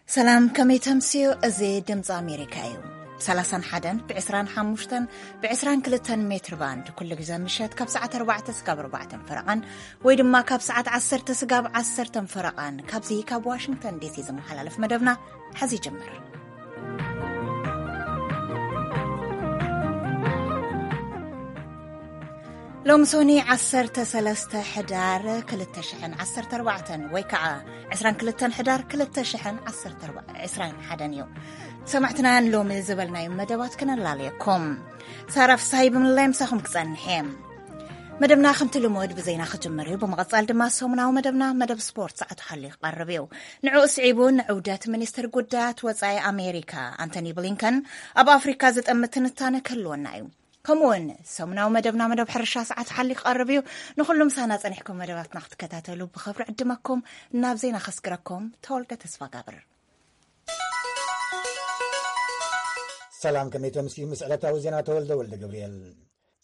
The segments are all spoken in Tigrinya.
ሰላም፣ ከመይ ተምስዩ? እዚ ድምፂ ኣሜሪካ እዩ። ብ31፣ ብ22 ሜትር ባንድ ኩሉ ግዜ ምሸት ካብ ሰዓት ኣርባዕተ ስጋብ ኣርባዕተ ፈረቓን ወይ ድማ ካብ ሰዓት ዓሰርተ ስጋብ ዓሰርተ ፈረቓን ካብዚ ካብ ዋሽንግተን ዲሲ ዝመሓላለፍ መደብና ሐዚ ይጅምር። ሎሚ ሶኒ ዓሰርተ ሰለስተ ሕዳር ክልተ ሽሕን ዓሰርተ ኣርባዕተን ወይ ከዓ ዕስራን ክልተን ሕዳር ክልተ ሽሕን ዓሰርተ ኣርባዕተን እዩ። ሰማዕትናን ሎሚ ዝበልናዮም መደባት ክነላለየኩም። ሳራ ፍስሃይ ብምልላይ ምሳኹም ክጸንሕ እየ። መደብና ከምቲ ልሙድ ብዜና ክጅምር እዩ። ብምቕጻል ድማ ሰሙናዊ መደብና መደብ ስፖርት ሰዓቱ ሓሊዩ ክቐርብ እዩ። ንዕኡ ስዒቡ ንዑደት ሚኒስትር ጉዳያት ወጻኢ ኣሜሪካ ኣንቶኒ ብሊንከን ኣብ ኣፍሪካ ዘጠምት ትንታነ ክህልወና እዩ። ከምኡውን ሰሙናዊ መደብና መደብ ሕርሻ ሰዓቱ ሓሊዩ ክቐርብ እዩ። ንኹሉ ምሳና ጸኒሕኩም መደባትና ክትከታተሉ ብኽብሪ ዕድመኩም። ናብ ዜና ከስግረኩም ተወልደ ተስፋ ጋብር። ሰላም፣ ከመይ ተምስዩ? ምስ ዕለታዊ ዜና ተወልደ ወልደ ገብርኤል።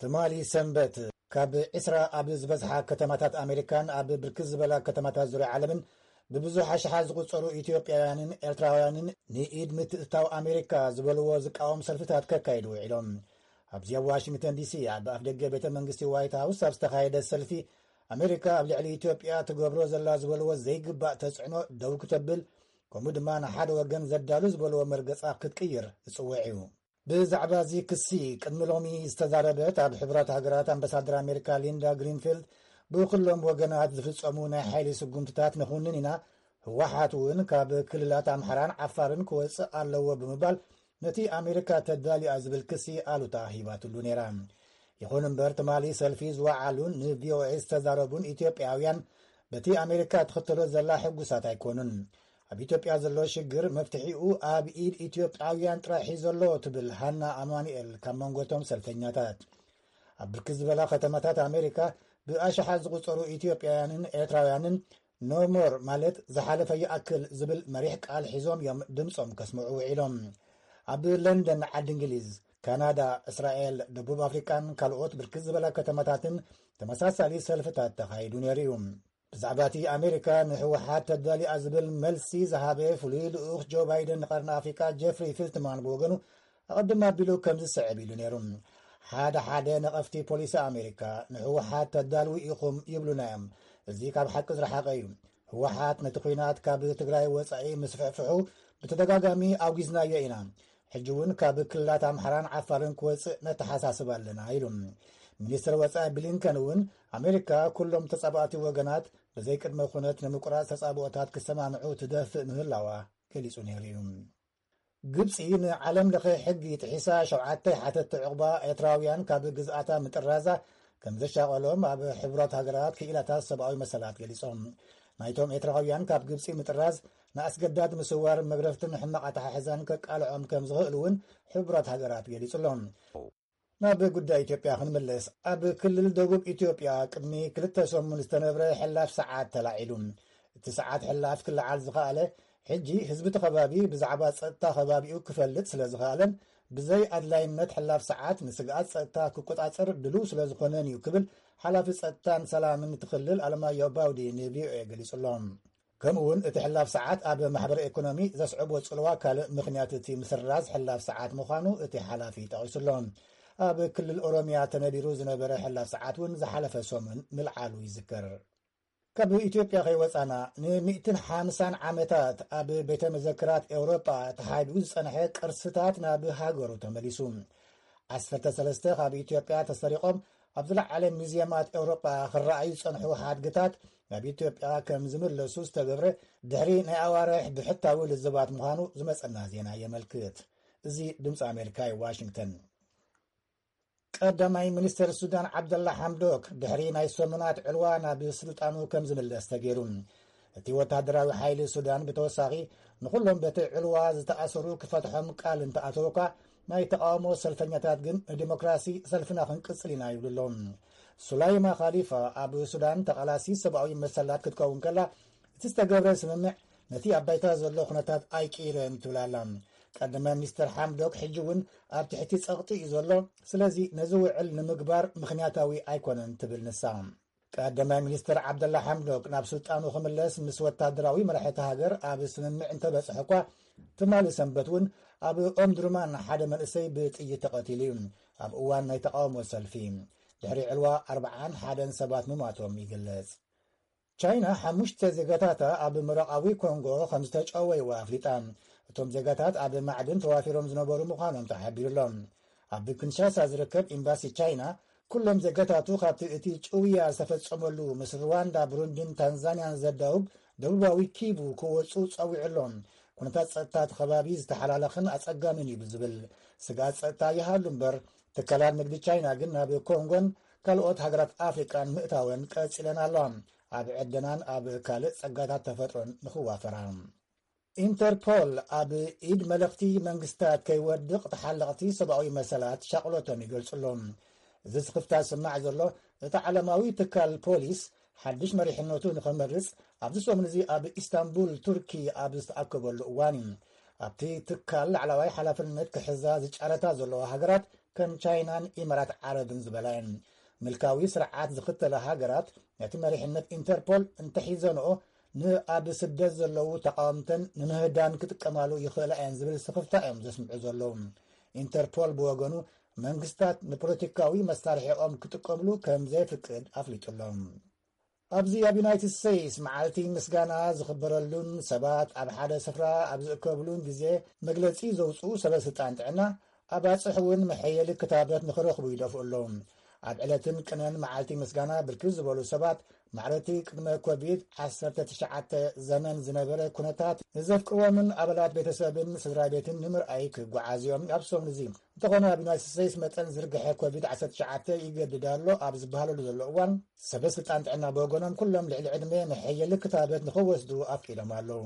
ትማሊ ሰንበት ካብ ዕስራ ኣብ ዝበዝሓ ከተማታት ኣሜሪካን ኣብ ብርክት ዝበላ ከተማታት ዙርያ ዓለምን ብብዙሕ ኣሽሓት ዝቑጸሩ ኢትዮጵያውያንን ኤርትራውያንን ንኢድ ምትእትታው ኣሜሪካ ዝበልዎ ዝቃወም ሰልፍታት ከካይዱ ውዒሎም። ኣብዚ ኣብ ዋሽንግተን ዲሲ ኣብ ኣፍደገ ቤተ መንግስቲ ዋይት ሃውስ ኣብ ዝተኻየደ ሰልፊ፣ ኣሜሪካ ኣብ ልዕሊ ኢትዮጵያ ትገብሮ ዘላ ዝበልዎ ዘይግባእ ተጽዕኖ ደው ክተብል፣ ከምኡ ድማ ንሓደ ወገን ዘዳሉ ዝበልዎ መርገጻ ክትቅይር ዝጽውዕ እዩ። ብዛዕባ እዚ ክሲ ቅድሚ ሎሚ ዝተዛረበት ኣብ ሕቡራት ሃገራት ኣምባሳደር ኣሜሪካ ሊንዳ ግሪንፊልድ፣ ብኩሎም ወገናት ዝፍጸሙ ናይ ሓይሊ ስጉምትታት ንኹንን ኢና፣ ህወሓት እውን ካብ ክልላት ኣምሓራን ዓፋርን ክወጽእ ኣለዎ ብምባል ነቲ ኣሜሪካ ተዳልያ ዝብል ክሲ ኣሉታ ሂባትሉ ነይራ። ይኹን እምበር ትማሊ ሰልፊ ዝወዓሉን ንቪኦኤ ዝተዛረቡን ኢትዮጵያውያን በቲ ኣሜሪካ ትኽተሎ ዘላ ሕጉሳት ኣይኮኑን። ኣብ ኢትዮጵያ ዘሎ ሽግር መፍትሒኡ ኣብ ኢድ ኢትዮጵያውያን ጥራሕ እዩ ዘሎ ትብል ሃና ኣማኑኤል ካብ መንጎቶም ሰልፈኛታት። ኣብ ብርክት ዝበላ ከተማታት ኣሜሪካ ብኣሽሓት ዝቑጸሩ ኢትዮጵያውያንን ኤርትራውያንን ኖ ሞር ማለት ዝሓለፈ ይኣክል ዝብል መሪሕ ቃል ሒዞም እዮም ድምጾም ከስምዑ ውዒሎም። ኣብ ለንደን፣ ዓዲ እንግሊዝ፣ ካናዳ፣ እስራኤል፣ ደቡብ ኣፍሪቃን ካልኦት ብርክት ዝበላ ከተማታትን ተመሳሳሊ ሰልፍታት ተኻይዱ ነይሩ እዩ። ብዛዕባ እቲ ኣሜሪካ ንህወሓት ተዳሊኣ ዝብል መልሲ ዝሃበ ፍሉይ ልኡኽ ጆ ባይደን ንቐርኒ ኣፍሪቃ ጀፍሪ ፊልትማን ብወገኑ ኣቐድም ኣቢሉ ከም ዝስዕብ ኢሉ ነይሩ። ሓደ ሓደ ነቐፍቲ ፖሊሲ ኣሜሪካ ንህወሓት ተዳልዉ ኢኹም ይብሉና እዮም። እዚ ካብ ሓቂ ዝረሓቐ እዩ። ህወሓት ነቲ ኲናት ካብ ትግራይ ወጻኢ ምስፍሕፍሑ ብተደጋጋሚ ኣውጊዝናዮ ኢና። ሕጂ እውን ካብ ክልላት ኣምሓራን ዓፋርን ክወጽእ ነተሓሳስብ ኣለና ኢሉ። ሚኒስትር ወጻኢ ብሊንከን እውን ኣሜሪካ ኩሎም ተጻባእቲ ወገናት ብዘይ ቅድመ ኩነት ንምቁራጽ ተጻብኦታት ክሰማምዑ ትደፍእ ምህላዋ ገሊጹ ነይሩ እዩ። ግብጺ ንዓለም ለኸ ሕጊ ጥሒሳ ሸውዓተ ሓተትቲ ዕቑባ ኤርትራውያን ካብ ግዝኣታ ምጥራዛ ከም ዘሻቐሎም ኣብ ሕቡራት ሃገራት ክኢላታት ሰብኣዊ መሰላት ገሊጾም። ናይቶም ኤርትራውያን ካብ ግብጺ ምጥራዝ ንኣስገዳድ ምስዋር፣ መግረፍትን ሕማቕ ኣተሓሕዛን ከቃልዖም ከም ዝኽእል እውን ሕቡራት ሃገራት ገሊጹ ኣሎ። ናብ ጉዳይ ኢትዮጵያ ክንምለስ፣ ኣብ ክልል ደቡብ ኢትዮጵያ ቅድሚ ክልተ ሰሙን ዝተነብረ ሕላፍ ሰዓት ተላዒሉ። እቲ ሰዓት ሕላፍ ክለዓል ዝኸኣለ፣ ሕጂ ህዝቢ እቲ ከባቢ ብዛዕባ ጸጥታ ከባቢኡ ክፈልጥ ስለ ዝኸኣለን ብዘይ ኣድላይነት ሕላፍ ሰዓት ንስግኣት ጸጥታ ክቆጻጸር ድሉው ስለ ዝኾነን እዩ ክብል ሓላፊ ጸጥታን ሰላምን እቲ ክልል ኣለማየሁ ባውዲ ንቪኦኤ ገሊጹ ኣሎ። ከምኡ እውን እቲ ሕላፍ ሰዓት ኣብ ማሕበረ ኢኮኖሚ ዘስዕቦ ጽልዋ ካልእ ምኽንያት እቲ ምስራዝ ሕላፍ ሰዓት ምዃኑ እቲ ሓላፊ ጠቒሱ ኣሎ። ኣብ ክልል ኦሮሚያ ተነቢሩ ዝነበረ ሕላፍ ሰዓት እውን ዝሓለፈ ሰሙን ምልዓሉ ይዝከር። ካብ ኢትዮጵያ ከይወጻና፣ ንሚእትን ሓምሳን ዓመታት ኣብ ቤተ መዘክራት ኤውሮጳ ተሓቢኡ ዝጸንሐ ቅርስታት ናብ ሃገሩ ተመሊሱ። ዓሰርተ ሰለስተ ካብ ኢትዮጵያ ተሰሪቖም ኣብ ዝለዓለ ሙዝየማት ኤውሮጳ ክረኣዩ ዝጸንሑ ሓድግታት ናብ ኢትዮጵያ ከም ዝምለሱ ዝተገብረ ድሕሪ ናይ ኣዋርሕ ብሕታዊ ልዝባት ምዃኑ ዝመጸና ዜና የመልክት። እዚ ድምጺ ኣሜሪካ እዩ፣ ዋሽንግተን። ቀዳማይ ሚኒስትር ሱዳን ዓብደላ ሓምዶክ ድሕሪ ናይ ሰሙናት ዕልዋ ናብ ስልጣኑ ከም ዝምለስ ተገይሩ። እቲ ወታደራዊ ሓይሊ ሱዳን ብተወሳኺ ንኹሎም በቲ ዕልዋ ዝተኣሰሩ ክፈትሖም ቃል እንተኣተወ እኳ፣ ናይ ተቓውሞ ሰልፈኛታት ግን ንዲሞክራሲ ሰልፍና ክንቅጽል ኢና ይብሉ ኣለዉ። ሱላይማ ኻሊፋ ኣብ ሱዳን ተቓላሲ ሰብኣዊ መሰላት ክትከውን ከላ፣ እቲ ዝተገብረ ስምምዕ ነቲ ኣብ ባይታ ዘሎ ኩነታት ኣይቅይረን ትብል ኣላ። ቀዳማይ ሚኒስተር ሓምዶክ ሕጂ እውን ኣብ ትሕቲ ጸቕጢ እዩ ዘሎ፣ ስለዚ ነዚ ውዕል ንምግባር ምኽንያታዊ ኣይኮነን ትብል ንሳ። ቀዳማይ ሚኒስተር ዓብደላ ሓምዶክ ናብ ስልጣኑ ክምለስ ምስ ወታደራዊ መራሒ እታ ሃገር ኣብ ስምምዕ እንተበጽሐ እኳ፣ ትማሊ ሰንበት እውን ኣብ ኦምድሩማን ሓደ መንእሰይ ብጥይት ተቐቲሉ እዩ። ኣብ እዋን ናይ ተቓውሞ ሰልፊ ድሕሪ ዕልዋ ኣርብዓን ሓደን ሰባት ምሟቶም ይግለጽ። ቻይና ሓሙሽተ ዜጋታታ ኣብ ምብራቓዊ ኮንጎ ከም ዝተጨወይዋ ኣፍሊጣ። እቶም ዜጋታት ኣብ ማዕድን ተዋፊሮም ዝነበሩ ምዃኖም ተሓቢሩሎም። ኣብ ኪንሻሳ ዝርከብ ኤምባሲ ቻይና፣ ኩሎም ዜጋታቱ ካብቲ እቲ ጭውያ ዝተፈጸመሉ ምስ ሩዋንዳ፣ ብሩንዲን ታንዛንያን ዘዳውብ ደቡባዊ ኪቡ ክወጹ ጸዊዑ ኣሎ። ኩነታት ጸጥታ እቲ ከባቢ ዝተሓላለኸን ኣጸጋምን እዩ ብዝብል ስግኣት ጸጥታ ይሃሉ እምበር፣ ትካላት ንግዲ ቻይና ግን ናብ ኮንጎን ካልኦት ሃገራት ኣፍሪቃን ምእታወን ቀጺለን ኣለዋ። ኣብ ዕደናን ኣብ ካልእ ጸጋታት ተፈጥሮን ንኽዋፈራ። ኢንተርፖል ኣብ ኢድ መለኽቲ መንግስታት ከይወድቕ ተሓለቕቲ ሰብኣዊ መሰላት ሻቕሎቶም ይገልጹ ኣለዉ። እዚ ስኽፍታ ዝስማዕ ዘሎ፣ እቲ ዓለማዊ ትካል ፖሊስ ሓድሽ መሪሕነቱ ንኸመርጽ ኣብዚ ሰሙን እዚ ኣብ ኢስታንቡል ቱርኪ ኣብ ዝተኣከበሉ እዋን እዩ። ኣብቲ ትካል ላዕለዋይ ሓላፍነት ክሕዛ ዝጫረታ ዘለዋ ሃገራት ከም ቻይናን ኢማራት ዓረብን ዝበላ እየን። ምልካዊ ስርዓት ዝኽተላ ሃገራት ነቲ መሪሕነት ኢንተርፖል እንተሒዘንኦ፣ ንኣብ ስደት ዘለዉ ተቓወምተን ንምህዳን ክጥቀማሉ ይኽእላ እየን ዝብል ስኽፍታ እዮም ዘስምዑ ዘለዉ። ኢንተርፖል ብወገኑ፣ መንግስታት ንፖለቲካዊ መሳርሒኦም ክጥቀምሉ ከም ዘይፍቅድ ኣፍሊጡ ኣሎ። ኣብዚ ኣብ ዩናይትድ ስቴትስ መዓልቲ ምስጋና ዝኽበረሉን ሰባት ኣብ ሓደ ስፍራ ኣብ ዝእከብሉን ግዜ መግለጺ ዘውፅኡ ሰበ ስልጣን ጥዕና፣ ኣባፅሕ እውን መሐየሊ ክታበት ንኽረኽቡ ይደፍኡ ኣለዉ። ኣብ ዕለትን ቅነን መዓልቲ ምስጋና ብርክት ዝበሉ ሰባት ማዕረቲ ቅድመ ኮቪድ ዓሰርተ ትሽዓተ ዘመን ዝነበረ ኩነታት ንዘፍቅርዎምን ኣባላት ቤተሰብን ስድራ ቤትን ንምርኣይ ክጓዓዝ እዮም ኣብ ሰሙን እዚ። እንተኾነ፣ ኣብ ዩናይትድ ስቴትስ መጠን ዝርግሐ ኮቪድ ዓሰርተ ትሽዓተ ይገድድ ኣሎ ኣብ ዝበሃለሉ ዘሎ እዋን፣ ሰበ ስልጣን ጥዕና ብወገኖም ኩሎም ልዕሊ ዕድመ መሐየሊ ክታበት ንኽወስዱ ኣፍቂዶም ኣለዉ።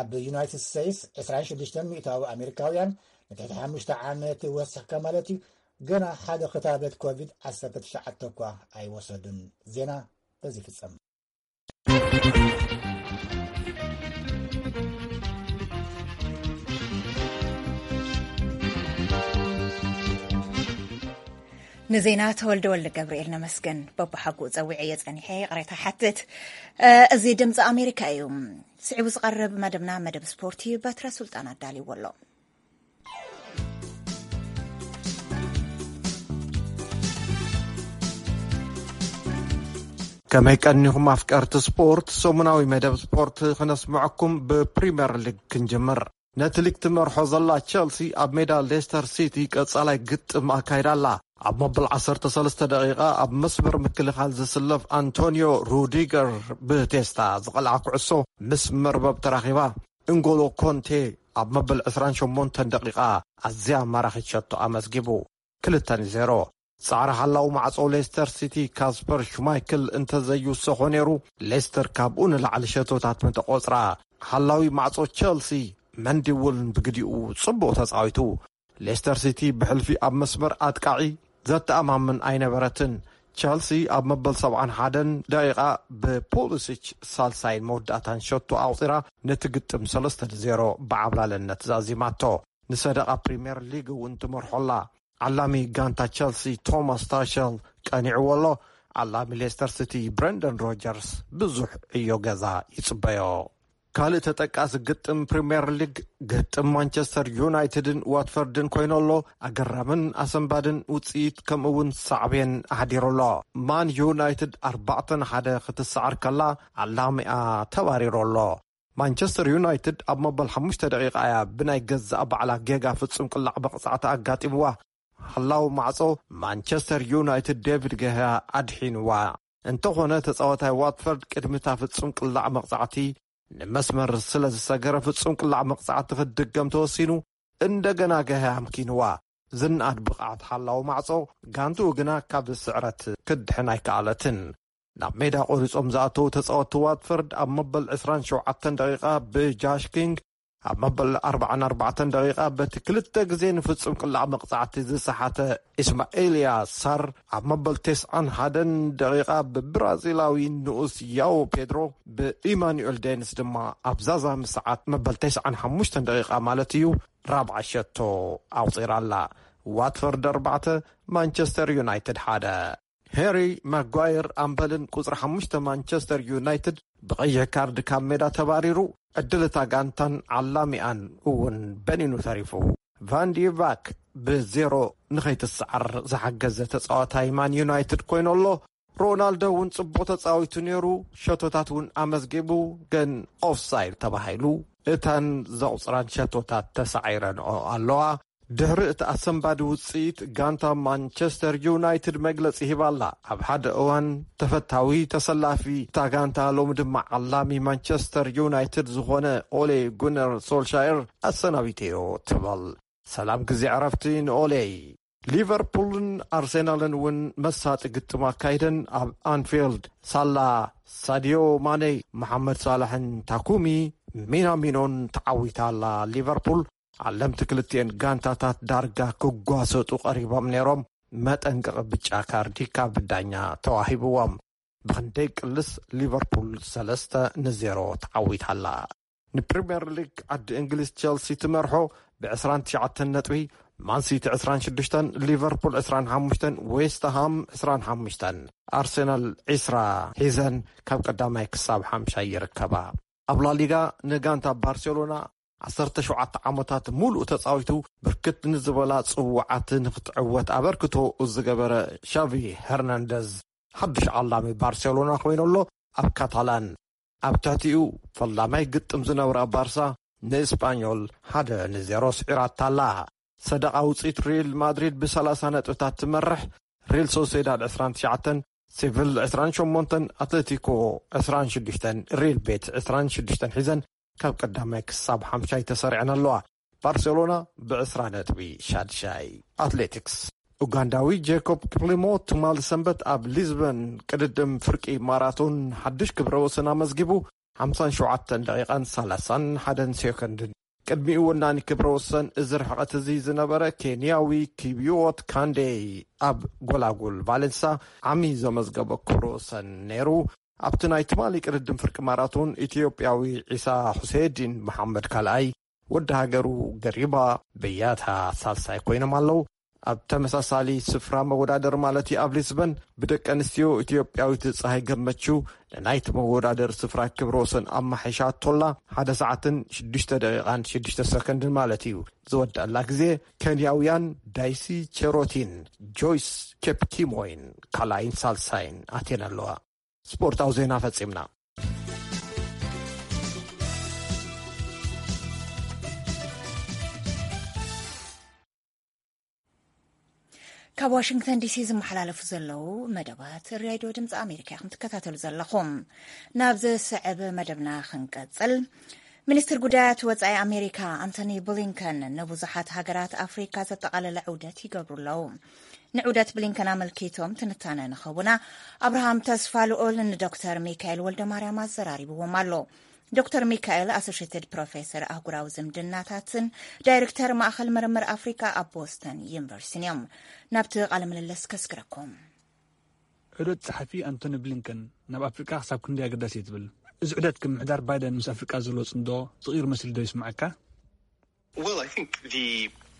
ኣብ ዩናይትድ ስቴትስ ዕስራን ሽዱሽተን ሚእታዊ ኣሜሪካውያን ንትሕቲ ሓሙሽተ ዓመት ወሲኽካ ማለት እዩ፣ ገና ሓደ ክታበት ኮቪድ ዓሰርተ ትሽዓተ እኳ ኣይወሰዱን። ዜና በዚ ይፍጸም። ንዜና ተወልደ ወልደ ገብርኤል ነመስገን። በብሓጉ ጸዊዐ እየ ጸኒሐ፣ ይቕሬታ ሓትት። እ፣ እዚ ድምፂ ኣሜሪካ እዩ። ስዒቡ ዝቐርብ መደብና መደብ ስፖርት እዩ። በትረ ሱልጣን ኣዳልይዎ ኣሎ። ከመይ ቀኒኹም ኣፍቀርቲ ስፖርት? ሰሙናዊ መደብ ስፖርት ክነስምዐኩም ብፕሪምየር ሊግ ክንጅምር። ነቲ ሊግ ትመርሖ ዘላ ቸልሲ ኣብ ሜዳ ሌስተር ሲቲ ቀጻላይ ግጥም ኣካይዳ ኣላ። ኣብ መበል ዓሰርተ ሰለስተ ደቂቓ ኣብ መስመር ምክልኻል ዝስለፍ ኣንቶኒዮ ሩዲገር ብቴስታ ዝቐልዓ ኩዕሶ ምስ መርበብ ተራኺባ። እንጎሎ ኮንቴ ኣብ መበል ዕስራን ሸሞንተን ደቂቓ ኣዝያ ማራኺት ሸቶ ኣመዝጊቡ። ክልተ ንዜሮ። ጻዕሪ ሓላው ማዕጾ ሌስተር ሲቲ ካስፐር ሽማይክል እንተዘይውሰኾ ነይሩ፣ ሌስተር ካብኡ ንላዕሊ ሸቶታት ምተቖጽራ። ሓላዊ ማዕጾ ቸልሲ መንዲ እውን ብግዲኡ ጽቡቕ ተጻዊቱ። ሌስተር ሲቲ ብሕልፊ ኣብ መስመር ኣጥቃዒ ዘተኣማምን ኣይነበረትን። ቸልሲ ኣብ መበል ሰብዓን ሓደን ደቂቓ ብፖሊሲች ሳልሳይን መወዳእታን ሸቶ ኣቑጺራ ነቲ ግጥም ሰለስተ ንዜሮ ብዓብላልነት ዛዚማቶ። ንሰደቓ ፕሪምየር ሊግ እውን ትመርሖ ኣላ። ዓላሚ ጋንታ ቸልሲ ቶማስ ታሸል ቀኒዕዎ ኣሎ። ዓላሚ ሌስተር ሲቲ ብረንደን ሮጀርስ ብዙሕ ዕዮ ገዛ ይጽበዮ። ካልእ ተጠቃሲ ግጥም ፕሪምየር ሊግ ግጥም ማንቸስተር ዩናይትድን ዋትፈርድን ኮይኑ ኣሎ። ኣገራምን ኣሰንባድን ውጽኢት ከምኡ እውን ሳዕቤን ኣሕዲሩ ኣሎ። ማን ዩናይትድ ኣርባዕተ ንሓደ ክትሰዓር ከላ፣ ዓላሚኣ ተባሪሩ ኣሎ። ማንቸስተር ዩናይትድ ኣብ መበል ሓሙሽተ ደቂቓ እያ ብናይ ገዛእ ባዕላ ጌጋ ፍጹም ቅላዕ መቕጻዕቲ ኣጋጢምዋ። ሓላው ማዕጾ ማንቸስተር ዩናይትድ ዴቪድ ገሃ ኣድሒንዋ። እንተኾነ፣ ተጻዋታይ ዋትፈርድ ቅድሚ እታ ፍጹም ቅላዕ መቕጻዕቲ ንመስመር ስለ ዝሰገረ፣ ፍጹም ቅላዕ መቕጻዕቲ ክትድገም ተወሲኑ። እንደገና ገሃ ኣምኪንዋ። ዝነኣድ ብቕዓት ሓላው ማዕጾ ጋንትኡ ግና ካብ ስዕረት ክድሕን ኣይከኣለትን። ናብ ሜዳ ቆሪጾም ዝኣተዉ ተጻወትቲ ዋትፈርድ ኣብ መበል ዕስራን ሸውዓተን ደቂቓ ብጃሽ ኪንግ፣ ኣብ መበል ኣርባዓን ኣርባዕተን ደቂቓ በቲ ክልተ ግዜ ንፍጹም ቅላዕ መቕጻዕቲ ዝሰሓተ ኢስማኤልያ ሳር፣ ኣብ መበል ተስዓን ሓደን ደቂቓ ብብራዚላዊ ንኡስ ያዎ ፔድሮ፣ ብኢማኑኤል ዴንስ ድማ ኣብ ዛዛ ምሰዓት መበል ተስዓን ሓሙሽተን ደቂቓ ማለት እዩ፣ ራብዓይ ሸቶ ኣቑጺራ ኣላ። ዋትፈርድ ኣርባዕተ፣ ማንቸስተር ዩናይትድ ሓደ። ሄሪ ማጓየር ኣምበልን ቁጽሪ ሓሙሽተ ማንቸስተር ዩናይትድ ብቐይሕ ካርድ ካብ ሜዳ ተባሪሩ፣ ዕድል እታ ጋንታን ዓላሚኣን እውን በኒኑ ተሪፉ። ቫን ዲ ቫክ ብዜሮ ንኸይትሰዓር ዝሓገዘ ተጻዋታይ ማን ዩናይትድ ኮይኑ ኣሎ። ሮናልዶ እውን ጽቡቕ ተጻዊቱ ነይሩ፣ ሸቶታት እውን ኣመዝጊቡ፣ ግን ኦፍሳይድ ተባሂሉ። እተን ዘቑጽራን ሸቶታት ተሳዒረንኦ ኣለዋ። ድሕሪ እቲ ኣሰንባዲ ውጽኢት፣ ጋንታ ማንቸስተር ዩናይትድ መግለጺ ሂባላ። ኣብ ሓደ እዋን ተፈታዊ ተሰላፊ እታ ጋንታ፣ ሎሚ ድማ ዓላሚ ማንቸስተር ዩናይትድ ዝኾነ ኦሌ ጉነር ሶልሻየር ኣሰናቢተዮ ትብል። ሰላም ግዜ ዕረፍቲ ንኦሌ። ሊቨርፑልን ኣርሴናልን እውን መሳጢ ግጥም ኣካይደን ኣብ ኣንፊልድ። ሳላ፣ ሳዲዮ ማኔ፣ መሓመድ ሳላሕን ታኩሚ ሚናሚኖን ተዓዊታ ኣላ። ሊቨርፑል፣ ዓለምቲ ክልቲኤን ጋንታታት ዳርጋ ክጓሰጡ ቀሪቦም ነይሮም። መጠንቀቒ ብጫ ካርዲ ካብ ዳኛ ተዋሂብዎም። ብኽንደይ ቅልስ ሊቨርፑል ሰለስተ ንዜሮ ተዓዊታ ኣላ። ንፕሪምየር ሊግ ዓዲ እንግሊዝ፣ ቸልሲ ትመርሖ ብ ዕስራን ትሽዓተን ነጥቢ፣ ማንሲቲ ዕስራን ሽዱሽተን፣ ሊቨርፑል ዕስራን ሓሙሽተን፣ ዌስትሃም ዕስራን ሓሙሽተን፣ ኣርሰናል ዕስራ ሒዘን ካብ ቀዳማይ ክሳብ ሓምሻይ ይርከባ። ኣብ ላሊጋ ንጋንታ ባርሴሎና ዓሰርተ ሸውዓተ ዓመታት ሙሉእ ተጻዊቱ ብርክት ንዝበላ ጽዋዓት ንክትዕወት ኣበርክቶ ዝገበረ ሻቪ ሄርናንደዝ ሓድሽ ዓላሚ ባርሴሎና ኮይኑ ኣሎ። ኣብ ካታላን ኣብ ትሕቲኡ ፈላማይ ግጥም ዝነብራ ባርሳ ንእስጳኞል ሓደ ንዜሮ ስዒራታ ኣላ። ሰደቓ ውጽኢት ሪል ማድሪድ ብሰላሳ ነጥብታት ትመርሕ፣ ሪል ሶሴዳድ ዕስራን ትሽዓተን፣ ሴቪል ዕስራን ሸሞንተን፣ ኣትሌቲኮ ዕስራን ሽዱሽተን፣ ሪል ቤት ዕስራን ሽዱሽተን ሒዘን ካብ ቀዳማይ ክሳብ ሓምሻይ ተሰሪዐን ኣለዋ። ባርሴሎና ብዕስራ ነጥቢ ሻድሻይ። ኣትሌቲክስ፣ ኡጋንዳዊ ጄኮብ ኪፕሊሞ ትማል ሰንበት ኣብ ሊዝበን ቅድድም ፍርቂ ማራቶን ሓድሽ ክብረ ወሰን ኣመዝጊቡ፣ ሓምሳን ሸውዓተን ደቂቓን ሰላሳን ሓደን ሴኮንድን። ቅድሚኡ ወናኒ ክብረ ወሰን እዚ ርሕቐት እዚ ዝነበረ ኬንያዊ ኪቢዮት ካንዴ ኣብ ጎላጉል ቫሌንሳ ዓሚ ዘመዝገቦ ክብረ ወሰን ነይሩ። ኣብቲ ናይ ትማሊ ቅድድም ፍርቂ ማራቶን ኢትዮጵያዊ ዒሳ ሁሴዲን መሓመድ ካልኣይ፣ ወዲ ሃገሩ ገሪባ በያታ ሳልሳይ ኮይኖም ኣለዉ። ኣብ ተመሳሳሊ ስፍራ መወዳደር ማለት እዩ ኣብ ሊስበን ብደቂ ኣንስትዮ ኢትዮጵያዊት ፀሃይ ገመቹ ንናይቲ መወዳደር ስፍራ ክብረ ወሰን ኣማሒሻቶላ ሓደ ሰዓትን ሽዱሽተ ደቂቓን ሽዱሽተ ሰከንድን ማለት እዩ። ዝወደኣላ ግዜ ኬንያውያን ዳይሲ ቸሮቲን ጆይስ ኬፕኪሞይን ካልኣይን ሳልሳይን ኣትየን ኣለዋ። ስፖርታዊ ዜና ፈጺምና። ካብ ዋሽንግተን ዲሲ ዝመሓላለፉ ዘለዉ መደባት ሬድዮ ድምፂ ኣሜሪካ ኢኹም ትከታተሉ ዘለኹም። ናብ ዝስዕብ መደብና ክንቀፅል፣ ሚኒስትር ጉዳያት ወፃኢ ኣሜሪካ ኣንቶኒ ብሊንከን ንብዙሓት ሃገራት ኣፍሪካ ዘጠቓለለ ዑደት ይገብሩ ኣለዉ። ንዑደት ብሊንከን ኣመልኪቶም ትንታነ ንኸቡና ኣብርሃም ተስፋ ልኡል ንዶክተር ሚካኤል ወልደ ማርያም ኣዘራሪብዎም ኣሎ። ዶክተር ሚካኤል ኣሶሽትድ ፕሮፌሰር ኣህጉራዊ ዝምድናታትን ዳይሬክተር ማእኸል ምርምር ኣፍሪካ ኣብ ቦስተን ዩኒቨርሲቲን እዮም። ናብቲ ቃለ ምልልስ ከስግረኩም። ዑደት ጸሓፊ ኣንቶኒ ብሊንከን ናብ ኣፍሪቃ ክሳብ ክንደይ ኣገዳሲ እዩ ትብል? እዚ ዑደት፣ ከም ምሕዳር ባይደን ምስ ኣፍሪቃ ዘሎ ጽምዶ ዝቕይር መሲሉ ዶ ይስምዓካ? Well, I think the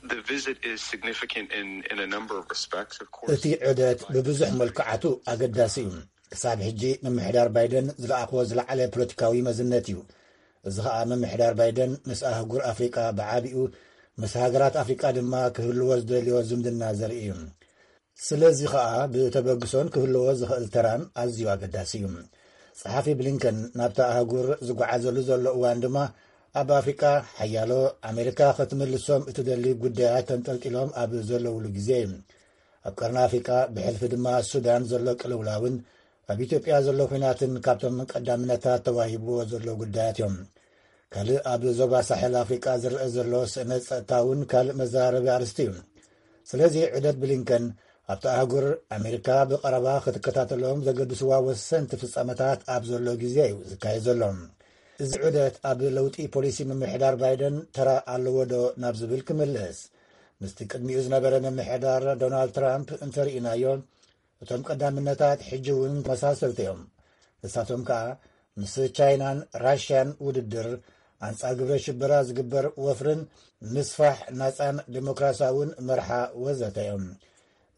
the visit is significant in in a number of respects, of course. እቲ ዑደት ብብዙሕ መልክዓቱ ኣገዳሲ እዩ። ክሳብ ሕጂ ምምሕዳር ባይደን ዝለኣኽዎ ዝለዓለ ፖለቲካዊ መዝነት እዩ። እዚ ኸኣ ምምሕዳር ባይደን ምስ ኣህጉር ኣፍሪቃ ብዓቢኡ፣ ምስ ሃገራት ኣፍሪቃ ድማ ክህልዎ ዝደልዮ ዝምድና ዘርኢ እዩ። ስለዚ ኸኣ ብተበግሶን ክህልዎ ዝኽእል ተራን ኣዝዩ ኣገዳሲ እዩ። ጸሓፊ ብሊንከን ናብታ ኣህጉር ዝጓዓዘሉ ዘሎ እዋን ድማ፣ ኣብ ኣፍሪቃ ሓያሎ ኣሜሪካ ክትምልሶም እትደሊ ጉዳያት ተንጠልጢሎም ኣብ ዘለውሉ ግዜ እዩ። ኣብ ቀርኒ ኣፍሪቃ፣ ብሕልፊ ድማ ሱዳን ዘሎ ቅልውላውን ኣብ ኢትዮጵያ ዘሎ ኲናትን ካብቶም ቀዳምነታት ተዋሂብዎ ዘሎ ጉዳያት እዮም። ካልእ ኣብ ዞባ ሳሕል ኣፍሪቃ ዝረአ ዘሎ ስእነት ጸጥታ እውን ካልእ መዘራረቢ ኣርእስቲ እዩ። ስለዚ ዑደት ብሊንከን ኣብቲ ኣህጉር ኣሜሪካ ብቐረባ ክትከታተሎም ዘገድስዋ ወሰንቲ ፍጻመታት ኣብ ዘሎ ግዜ እዩ ዝካየድ ዘሎ። እዚ ዑደት ኣብ ለውጢ ፖሊሲ ምምሕዳር ባይደን ተራ ኣለዎ ዶ ናብ ዝብል ክምልስ፣ ምስቲ ቅድሚኡ ዝነበረ ምምሕዳር ዶናልድ ትራምፕ እንተርኢናዮ፣ እቶም ቀዳምነታት ሕጂ እውን ተመሳሰልቲ እዮም። ንሳቶም ከኣ ምስ ቻይናን ራሽያን ውድድር፣ ኣንጻር ግብረ ሽበራ ዝግበር ወፍርን ምስፋሕ ናጻን ዴሞክራሲያውን መርሓ ወዘተ እዮም።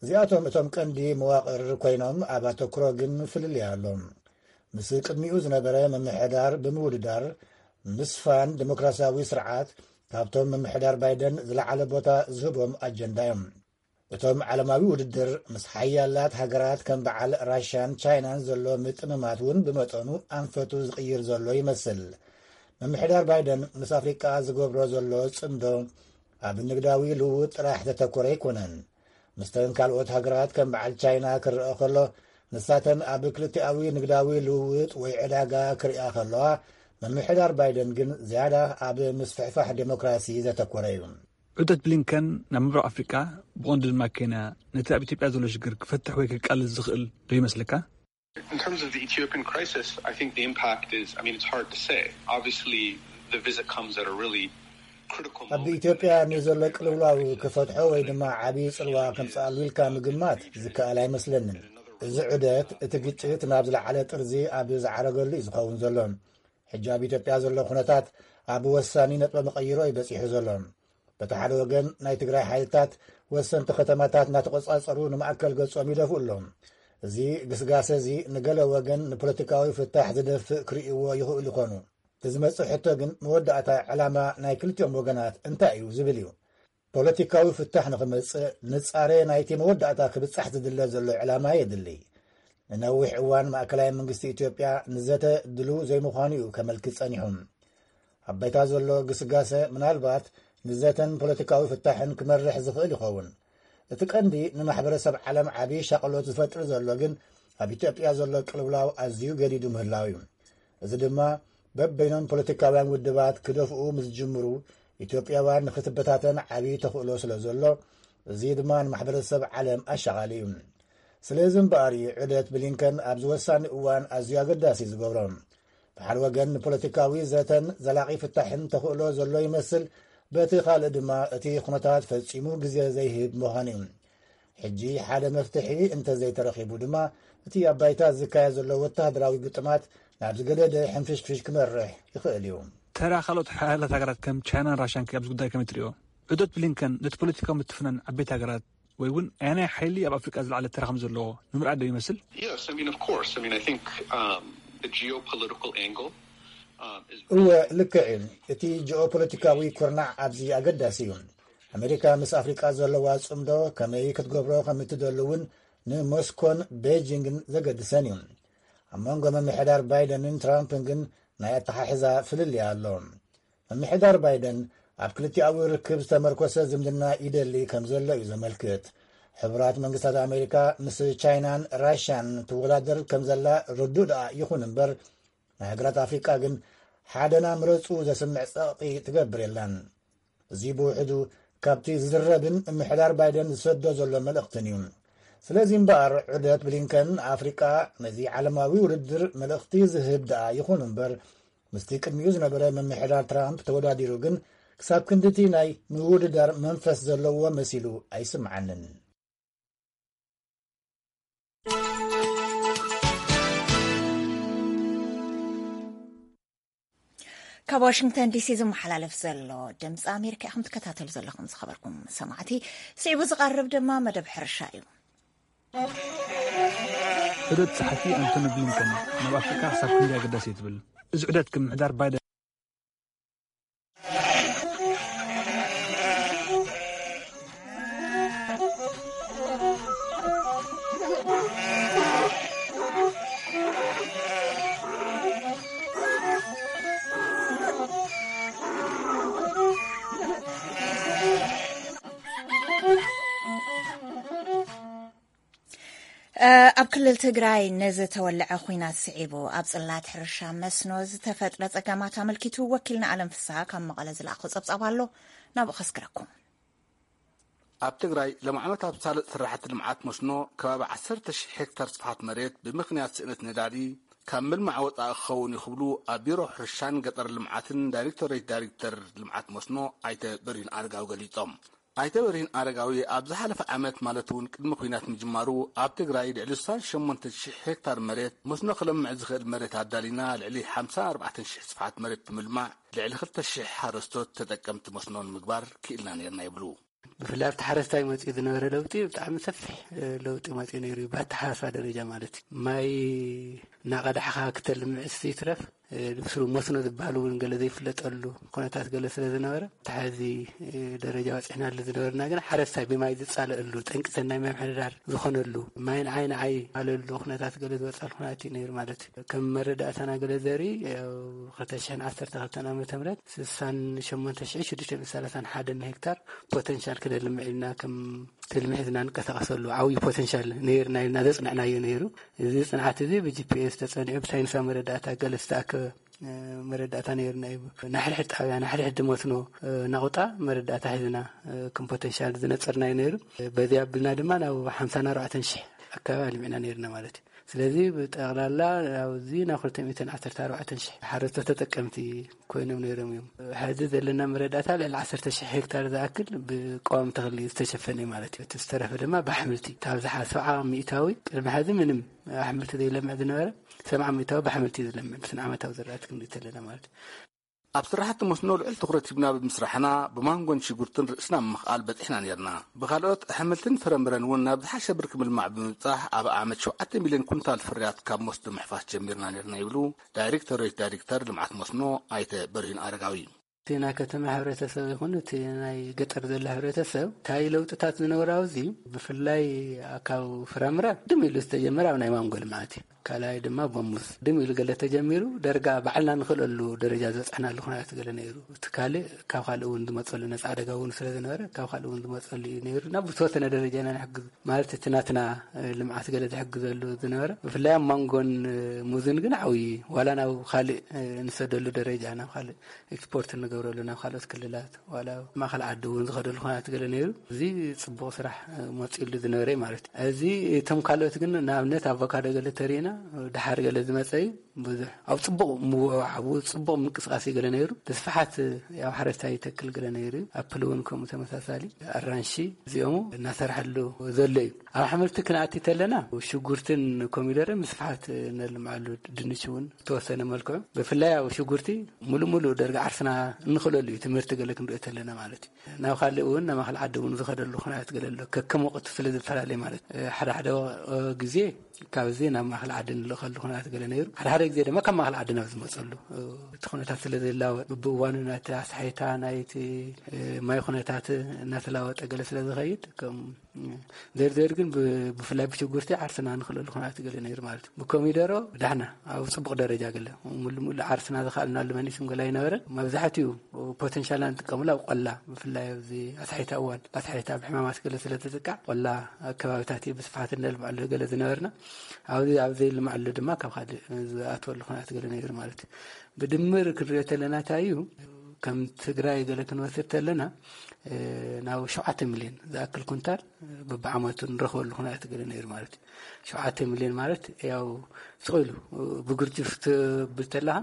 እዚኣቶም እቶም ቀንዲ መዋቕር ኮይኖም፣ ኣብ ኣተኩሮ ግን ፍልልይ ኣሎ። ምስ ቅድሚኡ ዝነበረ ምምሕዳር ብምውድዳር፣ ምስፋን ዴሞክራሲያዊ ስርዓት ካብቶም ምምሕዳር ባይደን ዝለዓለ ቦታ ዝህቦም ኣጀንዳ እዮም። እቶም ዓለማዊ ውድድር ምስ ሓያላት ሃገራት ከም በዓል ራሽያን ቻይናን ዘሎ ምጥምማት እውን ብመጠኑ ኣንፈቱ ዝቕይር ዘሎ ይመስል። ምምሕዳር ባይደን ምስ ኣፍሪቃ ዝገብሮ ዘሎ ጽምዶ ኣብ ንግዳዊ ልውውጥ ጥራሕ ዘተኮረ ኣይኮነን። ምስተን ካልኦት ሃገራት ከም በዓል ቻይና ክረአ ከሎ፣ ንሳተን ኣብ ክልቲኣዊ ንግዳዊ ልውውጥ ወይ ዕዳጋ ክሪኣ ከለዋ፣ ምምሕዳር ባይደን ግን ዝያዳ ኣብ ምስፍሕፋሕ ዴሞክራሲ ዘተኮረ እዩ። ዑደት ብሊንከን ናብ ምብራቕ ኣፍሪቃ፣ ብቐንዱ ድማ ኬንያ፣ ነቲ ኣብ ኢትዮጵያ ዘሎ ሽግር ክፈትሕ ወይ ከቃልል ዝኽእል ዶ ይመስለካ? In terms of the Ethiopian crisis, I think the impact is, I mean, it's hard to say. Obviously, the visit comes at a really critical ኣብ moment ኢትዮጵያ ንዘሎ ቅልውላው ክፈትሖ ወይ ድማ ዓብዪ ጽልዋ ከምጽኣሉ ኢልካ ምግማት ዝከኣል ኣይመስለንን። እዚ ዑደት እቲ ግጭት ናብ ዝለዓለ ጥርዚ ኣብ ዝዓረገሉ እዩ ዝኸውን ዘሎ። ሕጂ ኣብ ኢትዮጵያ ዘሎ ኩነታት ኣብ ወሳኒ ነጥበ መቐይሮ እዩ በጺሑ ዘሎ። በቲ ሓደ ወገን ናይ ትግራይ ሓይልታት ወሰንቲ ከተማታት እናተቖጻጸሩ ንማእከል ገጾም ይደፍኡ ኣለዉ። እዚ ግስጋሰ እዚ ንገለ ወገን ንፖለቲካዊ ፍታሕ ዝደፍእ ክርእይዎ ይኽእሉ ይኾኑ። እቲ ዝመጽእ ሕቶ ግን መወዳእታ ዕላማ ናይ ክልቲኦም ወገናት እንታይ እዩ ዝብል እዩ። ፖለቲካዊ ፍታሕ ንኽመጽእ ንጻረ ናይቲ መወዳእታ ክብጻሕ ዝድለ ዘሎ ዕላማ የድሊ። ንነዊሕ እዋን ማእከላይ መንግስቲ ኢትዮጵያ ንዘተ ድሉው ዘይምዃኑ እዩ ከመልክት ጸኒሑ። ኣብ ባይታ ዘሎ ግስጋሰ ምናልባት ንዘተን ፖለቲካዊ ፍታሕን ክመርሕ ዝኽእል ይኸውን። እቲ ቀንዲ ንማሕበረሰብ ዓለም ዓቢ ሻቕሎት ዝፈጥር ዘሎ ግን ኣብ ኢትዮጵያ ዘሎ ቅልውላው ኣዝዩ ገዲዱ ምህላው እዩ። እዚ ድማ በበይኖም ፖለቲካውያን ውድባት ክደፍኡ ምስ ዝጅምሩ፣ ኢትዮጵያውያን ንኽትበታተን ዓቢ ተኽእሎ ስለ ዘሎ፣ እዚ ድማ ንማሕበረሰብ ዓለም ኣሻቓሊ እዩ። ስለዚ እምበኣር እዩ ዑደት ብሊንከን ኣብዚ ወሳኒ እዋን ኣዝዩ ኣገዳሲ ዝገብሮ። ብሓደ ወገን ንፖለቲካዊ ዘተን ዘላቒ ፍታሕን ተኽእሎ ዘሎ ይመስል፣ በቲ ካልእ ድማ እቲ ኩነታት ፈጺሙ ግዜ ዘይህብ ምዃኑ እዩ። ሕጂ ሓደ መፍትሒ እንተዘይተረኺቡ ድማ፣ እቲ ኣብ ባይታ ዝካየድ ዘሎ ወተሃደራዊ ግጥማት ናብ ዝገደደ ሕንፍሽፍሽ ክመርሕ ይኽእል እዩ። ተራ ካልኦት ሓያላት ሃገራት ከም ቻይናን ራሽያን ከ ኣብዚ ጉዳይ ከመይ ትርእዮ? ዑደት ብሊንከን ነቲ ፖለቲካዊ ምትፍናን ዓበይቲ ሃገራት ወይ እውን ኣየናይ ሓይሊ ኣብ ኣፍሪቃ ዝለዓለ ተራ ከም ዘለዎ ንምርኣይ ዶ ይመስል? Yes, I mean, of course. I mean, I think um, the geopolitical angle um, is እወ፣ ልክዕ እዩ። እቲ ጂኦፖለቲካዊ ኩርናዕ ኣብዚ ኣገዳሲ እዩ። ኣሜሪካ ምስ ኣፍሪቃ ዘለዋ ጽምዶ ከመይ ክትገብሮ ከም እትደሊ እውን ንሞስኮን ቤጂንግን ዘገድሰን እዩ። ኣብ መንጎ ምምሕዳር ባይደንን ትራምፕን ግን ናይ ኣተሓሕዛ ፍልልይ ኣሎ። ምምሕዳር ባይደን ኣብ ክልቲኣዊ ርክብ ዝተመርኮሰ ዝምድና ይደሊ ከም ዘሎ እዩ ዘመልክት። ሕቡራት መንግስታት ኣሜሪካ ምስ ቻይናን ራሽያን ትወዳደር ከም ዘላ ርዱእ ደኣ ይኹን እምበር፣ ናይ ሃገራት ኣፍሪቃ ግን ሓደና ምረጹ ዘስምዕ ጸቕጢ ትገብር የላን። እዚ ብውሕዱ ካብቲ ዝዝረብን ምምሕዳር ባይደን ዝሰዶ ዘሎ መልእኽትን እዩ። ስለዚ እምበኣር ዑደት ብሊንከን ኣፍሪቃ ነዚ ዓለማዊ ውድድር መልእኽቲ ዝህብ ደኣ ይኹን እምበር፣ ምስቲ ቅድሚኡ ዝነበረ ምምሕዳር ትራምፕ ተወዳዲሩ ግን ክሳብ ክንድቲ ናይ ምውድዳር መንፈስ ዘለዎ መሲሉ ኣይስምዓንን። ካብ ዋሽንግተን ዲሲ ዝመሓላለፍ ዘሎ ድምፂ ኣሜሪካ ኢኹም ትከታተሉ ዘለኹም ዝኸበርኩም ሰማዕቲ። ስዒቡ ዝቐርብ ድማ መደብ ሕርሻ እዩ። ዑደት ጸሓፊ ኣንቶኒ ብሊንከን ናብ ኣፍሪካ ክሳብ ክንደይ ኣገዳሲ እዩ ትብል? እዚ ዑደት ግን ምሕዳር ባይደን ኣብ ክልል ትግራይ ንዝተወለዐ ኹናት ስዒቡ ኣብ ጽላት ሕርሻ መስኖ ዝተፈጥረ ጸገማት ኣመልኪቱ ወኪልና ኣለም ፍስሃ ካብ መቐለ ዝለኣኾ ጸብጻብ ኣሎ፣ ናብኡ ከስግረኩም። ኣብ ትግራይ ሎም ዓመት ኣብ ሳልጥ ስራሕቲ ልምዓት መስኖ ከባቢ ዓሰርተ ሽሕ ሄክታር ስፍሓት መሬት ብምኽንያት ስእነት ነዳዲ ካብ ምልማዕ ወፃኢ ክኸውን እዩ ክብሉ ኣብ ቢሮ ሕርሻን ገጠር ልምዓትን ዳይሬክቶሬት ዳይሬክተር ልምዓት መስኖ ኣይተ በሪሁን ኣረጋዊ ገሊፆም። ኣይተ በሪሁን ኣረጋዊ ኣብ ዝሓለፈ ዓመት ማለት እውን ቅድሚ ኲናት ምጅማሩ ኣብ ትግራይ ልዕሊ ስሳን ሸሞንተ ሽሕ ሄክታር መሬት መስኖ ክለምዕ ዝኽእል መሬት ኣዳሊና ልዕሊ ሓምሳን ኣርባዕተን ሽሕ ስፍሓት መሬት ብምልማዕ ልዕሊ ክልተ ሽሕ ሓረስቶት ተጠቀምቲ መስኖ ንምግባር ክኢልና ነርና ይብሉ። ብፍላይ ኣብቲ ሓረስታይ መፂኡ ዝነበረ ለውጢ ብጣዕሚ ሰፊሕ ለውጢ መፂኡ ነይሩ እዩ። ብኣተሓሳስባ ደረጃ ማለት እዩ። ማይ እናቐዳሕኻ ክተልምዕስ ይትረፍ ብስሩ መስኖ ዝበሃል እውን ገለ ዘይፍለጠሉ ኩነታት ገለ ስለ ዝነበረ ተሓዚ ደረጃ በፂሕናሉ ዝነበርና ግን ሓረስታይ ብማይ ዝፃለእሉ ጠንቂ ሰናይ ምምሕዳር ዝኾነሉ ማይ ንዓይ ንዓይ ኣለሉ ኩነታት ገለ ዝበፃሉ ኩነታት እዩ ነይሩ ማለት እዩ። ከም መረዳእታና ገለ ዘርኢ ክልተ ሽሕን ዓሰርተ ክልተን ዓመተ ምህረት ስሳን ሸሞንተ ሽሕ ሽዱሽተ ሚእቲ ሰላሳን ሓደን ሄክታር ፖተንሻል ክነልምዕ ኢልና ከም ትልሚ ሒዝና ንቀሳቀሰሉ ዓብዪ ፖተንሻል ነይርና ኢልና ዘፅንዕናዮ ነይሩ። እዚ ፅንዓት እዚ ብጂፒኤስ ተፀኒዑ ብሳይንሳዊ መረዳእታ ገለ ዝተኣከበ መረዳእታ ነይርና እዩ። ናሕድሕድ ጣብያ ናሕድሕድ መስኖ ናቑጣ መረዳእታ ሒዝና ከም ፖተንሻል ዝነፀርናዮ ነይሩ። በዚ ኣብልና ድማ ናብ ሓምሳን ኣርባዕተን ሽሕ ኣካባቢ ኣልሚዕና ነይርና ማለት እዩ። ስለዚ ብጠቕላላ ኣብዚ ናብ ክልተ ሚእትን ዓሰርተ ኣርባዕተን ሽሕ ሓረስቶት ተጠቀምቲ ኮይኖም ነይሮም እዮም። ሕዚ ዘለና መረዳእታ ልዕሊ ዓሰርተ ሽሕ ሄክታር ዝኣክል ብቀዋሚ ተኽሊ ዝተሸፈነ እዩ ማለት እዩ። እቲ ዝተረፈ ድማ ብኣሕምልቲ እቲ ኣብዝሓ ሰብዓ ሚእታዊ ቅድሚ ሕዚ ምንም ኣሕምልቲ ዘይለምዕ ዝነበረ ሰብዓ ሚእታዊ ብኣሕምልቲ እዩ ዝለምዕ። ብስነ ዓመታዊ ዝራእቲ ክንርኢ ተለና ማለት እዩ። ኣብ ስራሕቲ መስኖ ልዑል ትኹረት ሂብና ብምስራሕና ብማንጎን ሽጉርትን ርእስና ምምኽኣል በፂሕና ነርና። ብካልኦት ኣሕምልትን ፍረምረን እውን ናብ ዝሓሸ ብርኪ ምልማዕ ብምብፃሕ ኣብ ዓመት ሸውዓተ ሚልዮን ኩንታል ፍርያት ካብ መስኖ ምሕፋስ ጀሚርና ነርና ይብሉ ዳይሬክቶሬት ዳይሬክተር ልምዓት መስኖ ኣይተ በርሂን ኣረጋዊ። እቲ ናይ ከተማ ሕብረተሰብ ይኹን እቲ ናይ ገጠር ዘሎ ሕብረተሰብ እንታይ ለውጥታት ዝነበሩ ኣብዚ ብፍላይ ካብ ፍራምረ ድም ኢሉ ዝተጀመረ ኣብ ናይ ማንጎ ልምዓት እዩ። ካልኣይ ድማ ቦሙዝ ድም ኢሉ ገለ ተጀሚሩ ደረጋ ባዕልና ንኽእለሉ ደረጃ ዝበፅሕናሉ ኩነታት ገለ ነይሩ። እቲ ካልእ ካብ ካልእ እውን ዝመፀሉ ነፃ ዕደጋ እውን ስለ ዝነበረ ካብ ካልእ እውን ዝመፀሉ እዩ ነይሩ እና ብዝተወሰነ ደረጃ ኢና ንሕግዝ ማለት እቲ ናትና ልምዓት ገለ ዝሕግዘሉ ዝነበረ ብፍላይ ኣብ ማንጎን ሙዝን ግን ዓብዪ ዋላ ናብ ካልእ ንሰደሉ ደረጃ ናብ ካልእ ኤክስፖርት እንገብረሉ ናብ ካልኦት ክልላት ዋላ ማእኸል ዓዲ እውን ዝኸደሉ ኩነታት ገለ ነይሩ። እዚ ፅቡቕ ስራሕ መፂሉ ዝነበረ እዩ ማለት እዩ። እዚ እቶም ካልኦት ግን ንኣብነት ኣቮካዶ ገለ ተሪእና ድሓር ገለ ዝመፀ እዩ። ብዙሕ ኣብ ፅቡቕ ምውዕዓቡ ፅቡቕ ምንቅስቃሴ ገለ ነይሩ። ብስፍሓት ያው ሓረስታይ ይተክል ገለ ነይሩ እዩ። ኣፕል እውን ከምኡ ተመሳሳሊ ኣራንሺ እዚኦም እናሰርሐሉ ዘሎ እዩ። ኣብ ኣሕምልቲ ክንኣቲ ተለና ሽጉርትን ኮሚደረን ብስፍሓት ነልምዓሉ ድንሽ እውን ዝተወሰነ መልክዑ ብፍላይ ኣብ ሽጉርቲ ሙሉ ሙሉ ደርጋ ዓርስና እንኽለሉ እዩ ትምህርቲ ገለ ክንሪኦ ተለና ማለት እዩ። ናብ ካልእ እውን ናብ ማእኸል ዓዲ እውን ዝኸደሉ ኩነታት ገለ ኣሎ ከከም ወቅቱ ስለ ዝፈላለ ማለት ሓደ ሓደ ግዜ ካብዚ ናብ ማእኸል ዓዲ ንልእኸሉ ኩነታት ገለ ነይሩ ሓደ ሓደ ግዜ ድማ ካብ ማእኸል ዓዲ ናብ ዝመፀሉ እቲ ኩነታት ስለ ዝላወጥ ብእዋኑ ናይቲ ኣስሓይታ ናይቲ ማይ ኩነታት እናተላወጠ ገለ ስለ ዝኸይድ ከም ዘርዘር ግን ብፍላይ ብሽጉርቲ ዓርስና ንኽእለሉ ኩነታት ገለ ነይሩ ማለት እዩ። ብኮሚደሮ ዳሕና ኣብ ፅቡቕ ደረጃ ገለ ሙሉ ሙሉ ዓርስና ዝኽኣልናሉ መኒስም ገለ ኣይነበረን። መብዛሕትኡ ፖቴንሻልና ንጥቀምሉ ኣብ ቆላ ብፍላይ ኣብዚ ኣስሓይታ እዋን ኣስሓይታ ብሕማማት ገለ ስለ ትጥቃዕ ቆላ ከባቢታት እዩ ብስፍሓት እነልምዐሉ ገለ ዝነበርና ኣብዚ ኣብ ዘይልምዐሉ ድማ ካብ ካልእ ዝኣትወሉ ኩነታት ገለ ነይሩ ማለት እዩ። ብድምር ክንሪኦ ተለና እንታይ እዩ ከም ትግራይ ገለ ክንወስድ ተለና ናብ ሸውዓተ ሚልዮን ዝኣክል ኩንታል ብብዓመቱ ንረኽበሉ ኩነታት ገለ ነይሩ ማለት እዩ። ሸውዓተ ሚልዮን ማለት ያው ስቕ ኢሉ ብግርጅፍ ትብል ተለኻ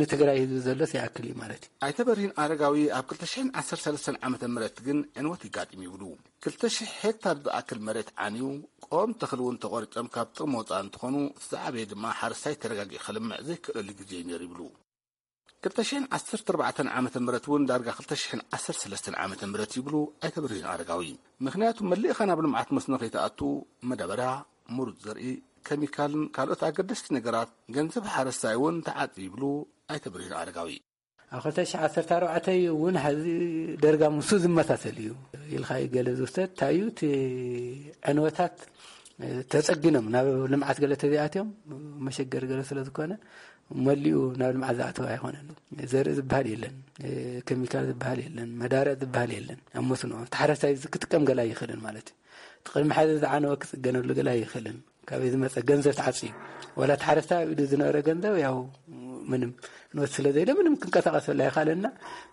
ንትግራይ ህዝቢ ዘሎስ ይኣክል እዩ ማለት እዩ። ኣይተ በርሂን ኣረጋዊ ኣብ ክልተ ሽሕን ዓሰርተ ሰለስተን ዓመተ ምህረት ግን ዕንወት ይጋጥም ይብሉ። ክልተ ሽሕ ሄክታር ዝኣክል መሬት ዓንዩ ቆም ተኽሊ እውን ተቖሪጾም ካብ ጥቕሚ ወፃእ እንትኾኑ እቲ ዝዓበየ ድማ ሓረስታይ ተረጋጊ ክልምዕ ዘይክእለሉ ግዜ እዩ ነይሩ ይብሉ። ክልተ ሽሕን ዓሰርተ ኣርባዕተን ዓመተ ምህረት እውን ዳርጋ ክልተ ሽሕን ዓሰርተ ሰለስተን ዓመተ ምህረት ይብሉ ኣይተ በርሂን ኣረጋዊ። ምኽንያቱ መሊእኻ ናብ ልምዓት መስኖ ከይትኣቱ መዳበርያ፣ ምሩፅ ዘርኢ፣ ኬሚካልን ካልኦት ኣገደስቲ ነገራት ገንዘብ ሓረስታይ እውን ተዓፂ ይብሉ ኣይተ በርሂን ኣረጋዊ። ኣብ ክልተ ሽሕ ዓሰርተ ኣርባዕተ እውን ሓዚ ደርጋ ምሱ ዝመሳሰል እዩ ኢልካ እዩ ገለ ዝውሰድ እንታይ እዩ እቲ ዕንወታት ተፀጊኖም ናብ ልምዓት ገለ ተዚኣትዮም መሸገር ገለ ስለ ዝኾነ መሊኡ ናብ ልምዓት ዝኣተወ ኣይኮነን። ዘርኢ ዝበሃል የለን፣ ኬሚካል ዝበሃል የለን፣ መዳርያ ዝበሃል የለን። ኣብ መስኖ ተሓረስታይ ክጥቀም ገለ ኣይኽእልን ማለት እዩ። እቲ ቅድሚ ሓዚ ዝዓነወ ክፅገነሉ ገለ ኣይኽእልን። ካበይ ዝመፀ ገንዘብ ተዓፅዩ ዋላ ተሓረስታይ ኣብ ኢዱ ዝነበረ ገንዘብ ያው ምንም ኖት ስለ ዘይለ ምንም ክንቀሳቀሰሉ ኣይኻለና።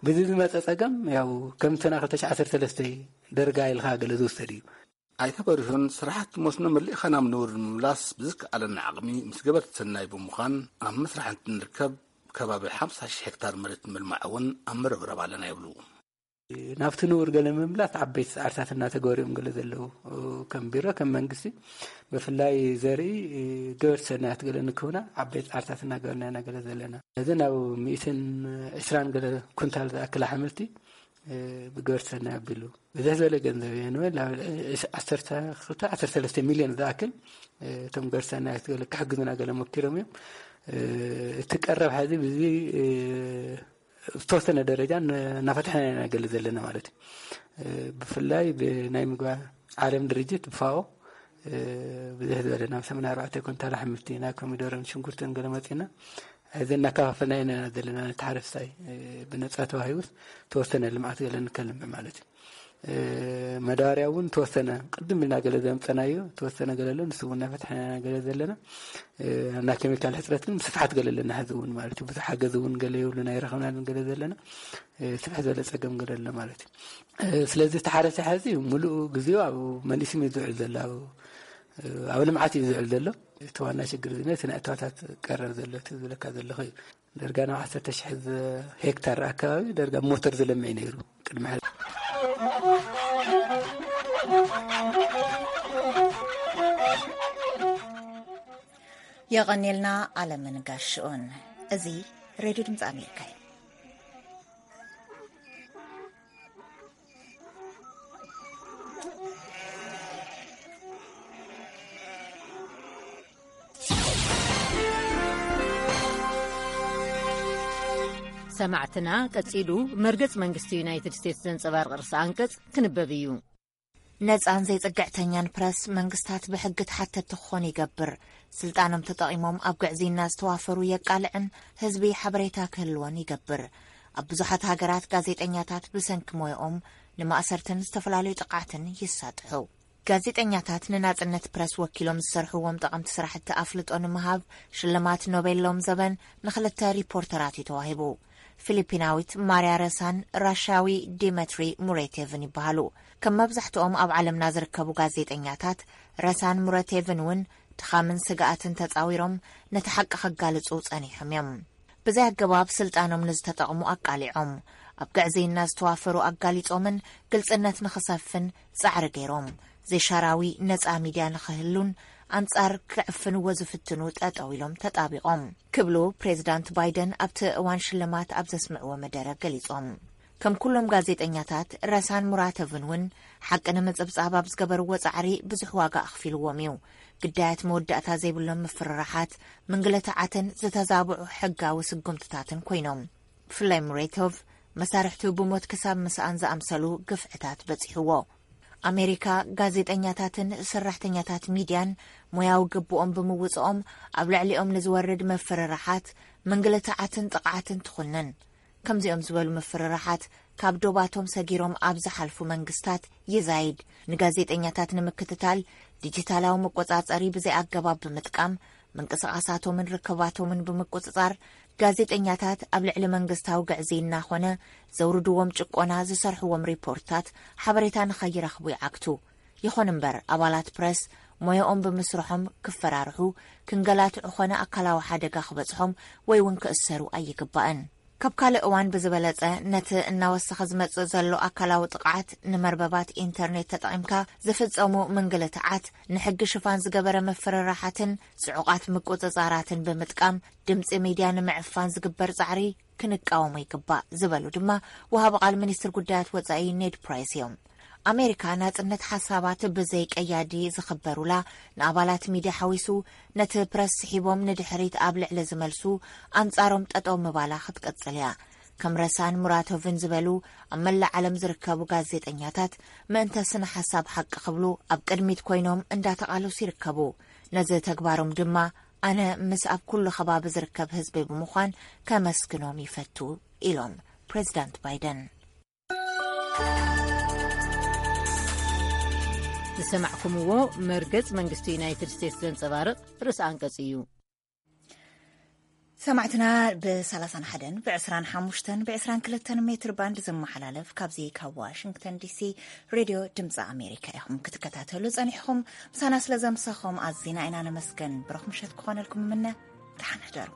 ብዚ ዝመፀ ፀገም ያው ከምቲ ናይ ክልተ ሽሕ ዓሰርተ ሰለስተ ደርጋ ኢልካ ገለ ዝውሰድ እዩ። ኣይተ በሪሁን፣ ስራሕቲ መስኖ መሊእኻ ናብ ንቡር ንምምላስ ብዝከኣለና ዓቕሚ ምስ ገበርቲ ሰናይ ብምዃን ኣብ ምስራሕ እንትንርከብ፣ ከባቢ ሓምሳ ሺሕ ሄክታር መሬት ንምልማዕ እውን ኣብ ምርብራብ ኣለና ይብሉ። ናብቲ ንቡር ገለ ምምላስ ዓበይቲ ፃዕርታት እናተገበሩ እዮም ገለ ዘለዉ። ከም ቢሮ፣ ከም መንግስቲ፣ ብፍላይ ዘርኢ ገበርቲ ሰናያት ገለ ንክህቡና ዓበይቲ ፃዕርታት እናገበርና ኢና ገለ ዘለና። ነዚ ናብ ሚእትን ዕስራን ገለ ኩንታል ዝኣክል ኣሕምልቲ ብገበርቲ ሰናይ ኣቢሉ ብዙሕ ዝበለ ገንዘብ እየ ንበል፣ ናብ ዓሰርተ ክልተ፣ ዓሰርተ ሰለስተ ሚልዮን ዝኣክል እቶም ገበርቲ ሰናያት ገለ ክሕግዙና ገለ ሞኪሮም እዮም። እቲ ቀረብ ሕዚ ብዚ ዝተወሰነ ደረጃ ን-፣ እናፈትሐና ኢና ገለ ዘለና ማለት እዩ። ብፍላይ ብናይ ምግቢ ዓለም ድርጅት፣ ብፋኦ፣ ብዙሕ ዝበለ ናብ ሰማንያ ኣርባዕተ ኩንታል ኣሕምልቲ፣ ናይ ኮሚደረን ሽንኩርትን ገለ መፂና፣ እዚ እናከፋፈልና ኢና ዘለና። ነቲ ሓረስታይ ብነፃ ተዋሂቡስ ተወሰነ ልምዓት ገለ ንከልምዕ ማለት እዩ። መዳበርያ እውን ተወሰነ ቅድም ኢልና ገለ ዘምፀናዮ ተወሰነ ገለ ኣሎ፣ ንሱ እውን እናፈትሐና ገለ ዘለና። እና ኬሚካል ሕፅረት ግን ብስፍሓት ገለ ኣለና። ሕዚ እውን ማለት እዩ ብዙሕ ሓገዝ እውን ገለ የብሉና፣ ኣይረኸብናን ገለ ዘለና። ስፍሕ ዝበለ ፀገም ገለ ኣሎ ማለት እዩ። ስለዚ እቲ ሓረስታይ ሕዚ ሙሉእ ግዜኡ ኣብ መሊስም እዩ ዝውዕል ዘሎ፣ ኣብ፣ ኣብ ልምዓት እዩ ዝውዕል ዘሎ። እቲ ዋና ሽግር እዚ ነቲ ናይ እታወታት ቀረብ ዘሎ፣ እቲ ዝብለካ ዘለኹ እዩ። ደርጋ ናብ ዓሰርተ ሺሕ ዝ-፣ ሄክታር ኣካባቢ ደርጋ ሞተር ዝለምዕ እዩ ነይሩ ቅድሚ ሕዚ። የቐኔልና ኣለምን ጋሽኡን። እዚ ሬድዮ ድምፂ ኣሜሪካ እዩ። ሰማዕትና፣ ቀጺሉ መርገጽ መንግስቲ ዩናይትድ ስቴትስ ዘንጸባርቕ ርእሰ ኣንቀጽ ክንበብ እዩ። ነጻን ዘይጽግዕተኛን ፕረስ መንግስታት ብሕጊ ተሓተቲ ክኾኑ ይገብር። ስልጣኖም ተጠቒሞም ኣብ ግዕዝይና ዝተዋፈሩ የቃልዕን ህዝቢ ሓበሬታ ክህልዎን ይገብር። ኣብ ብዙሓት ሃገራት ጋዜጠኛታት ብሰንኪ ሞያኦም ንማእሰርትን ዝተፈላለዩ ጥቕዓትን ይሳጥሑ። ጋዜጠኛታት ንናጽነት ፕረስ ወኪሎም ዝሰርሕዎም ጠቐምቲ ስራሕቲ ኣፍልጦ ንምሃብ ሽልማት ኖቤል ሎም ዘበን ንኽልተ ሪፖርተራት እዩ ተዋሂቡ። ፊሊፒናዊት ማርያ ረሳን ራሻዊ ዲመትሪ ሙሬቴቭን ይበሃሉ። ከም መብዛሕትኦም ኣብ ዓለምና ዝርከቡ ጋዜጠኛታት፣ ረሳን ሙረቴቭን እውን ድኻምን ስግኣትን ተጻዊሮም ነቲ ሓቂ ከጋልጹ ጸኒሖም እዮም። ብዘይ ኣገባብ ስልጣኖም ንዝተጠቕሙ ኣቃሊዖም፣ ኣብ ግዕዝይና ዝተዋፈሩ ኣጋሊጾምን ግልጽነት ንኽሰፍን ጻዕሪ ገይሮም፣ ዘይሻራዊ ነጻ ሚድያ ንኽህሉን ኣንጻር ክዕፍንዎ ዝፍትኑ ጠጠው ኢሎም ተጣቢቖም ክብሉ ፕሬዚዳንት ባይደን ኣብቲ እዋን ሽልማት ኣብ ዘስምዕዎ መደረ ገሊጾም። ከም ኩሎም ጋዜጠኛታት፣ ረሳን ሙራተቭን እውን ሓቂ ንምጽብጻብ ኣብ ዝገበርዎ ጻዕሪ ብዙሕ ዋጋ ኣኽፊልዎም እዩ። ግዳያት መወዳእታ ዘይብሎም ምፍርራሓት፣ ምንግልታዓትን ዝተዛብዑ ሕጋዊ ስጉምትታትን ኮይኖም። ብፍላይ ሙሬቶቭ መሳርሕቱ ብሞት ክሳብ ምስኣን ዝኣምሰሉ ግፍዕታት በጺሕዎ። ኣሜሪካ፣ ጋዜጠኛታትን ሰራሕተኛታት ሚድያን ሞያዊ ግብኦም ብምውጽኦም ኣብ ልዕሊኦም ንዝወርድ ምፍርራሓት፣ ምንግልታዓትን ጥቕዓትን ትኹንን። ከምዚኦም ዝበሉ ምፍርራሓት ካብ ዶባቶም ሰጊሮም ኣብ ዝሓልፉ መንግስታት ይዛይድ። ንጋዜጠኛታት ንምክትታል ዲጂታላዊ መቆጻጸሪ ብዘይ ኣገባብ ብምጥቃም፣ ምንቅስቓሳቶምን ርክባቶምን ብምቁጽጻር፣ ጋዜጠኛታት ኣብ ልዕሊ መንግስታዊ ግዕዝይና ኾነ ዘውርድዎም ጭቆና ዝሰርሕዎም ሪፖርትታት ሓበሬታ ንኸይረኽቡ ይዓግቱ። ይኹን እምበር፣ ኣባላት ፕረስ ሞያኦም ብምስርሖም ክፈራርሑ፣ ክንገላትዑ ኾነ ኣካላዊ ሓደጋ ክበጽሖም ወይ እውን ክእሰሩ ኣይግባእን። ካብ ካልእ እዋን ብዝበለጸ፣ ነቲ እናወሰኸ ዝመጽእ ዘሎ ኣካላዊ ጥቕዓት ንመርበባት ኢንተርኔት ተጠቒምካ ዝፍጸሙ ምንግልታዓት፣ ንሕጊ ሽፋን ዝገበረ ምፍርራሓትን ጽዑቓት ምቁጽጻራትን ብምጥቃም ድምጺ ሚድያ ንምዕፋን ዝግበር ጻዕሪ ክንቃወሞ ይግባእ ዝበሉ ድማ ወሃቢ ቃል ሚኒስትር ጉዳያት ወጻኢ ኔድ ፕራይስ እዮም። ኣሜሪካ ናጽነት ሓሳባት ብዘይ ቀያዲ ዝኽበሩላ፣ ንኣባላት ሚድያ ሓዊሱ ነቲ ፕረስ ስሒቦም ንድሕሪት ኣብ ልዕሊ ዝመልሱ ኣንጻሮም ጠጠው ምባላ ክትቅጽል እያ። ከም ረሳን ሙራቶቭን ዝበሉ ኣብ መላእ ዓለም ዝርከቡ ጋዜጠኛታት ምእንተ ስነ ሓሳብ ሓቂ ክብሉ ኣብ ቅድሚት ኮይኖም እንዳተቓለሱ ይርከቡ። ነዚ ተግባሮም ድማ ኣነ ምስ ኣብ ኩሉ ከባቢ ዝርከብ ህዝቢ ብምዃን ከመስግኖም ይፈቱ ኢሎም ፕሬዚዳንት ባይደን። ዝሰማዕኩምዎ መርገጽ መንግስቲ ዩናይትድ ስቴትስ ዘንጸባርቕ ርእሰ ኣንቀጽ እዩ። ሰማዕትና፣ ብ31 ብ25 ብ22 ሜትር ባንድ ዝመሓላለፍ ካብዚ ካብ ዋሽንግተን ዲሲ ሬድዮ ድምፂ ኣሜሪካ ኢኹም ክትከታተሉ ጸኒሕኹም። ምሳና ስለ ዘምሳኹም ኣዚና ኢና ነመስገን። ብሩኽ ምሸት ክኾነልኩም ምነ። ደሓን ሕደሩ።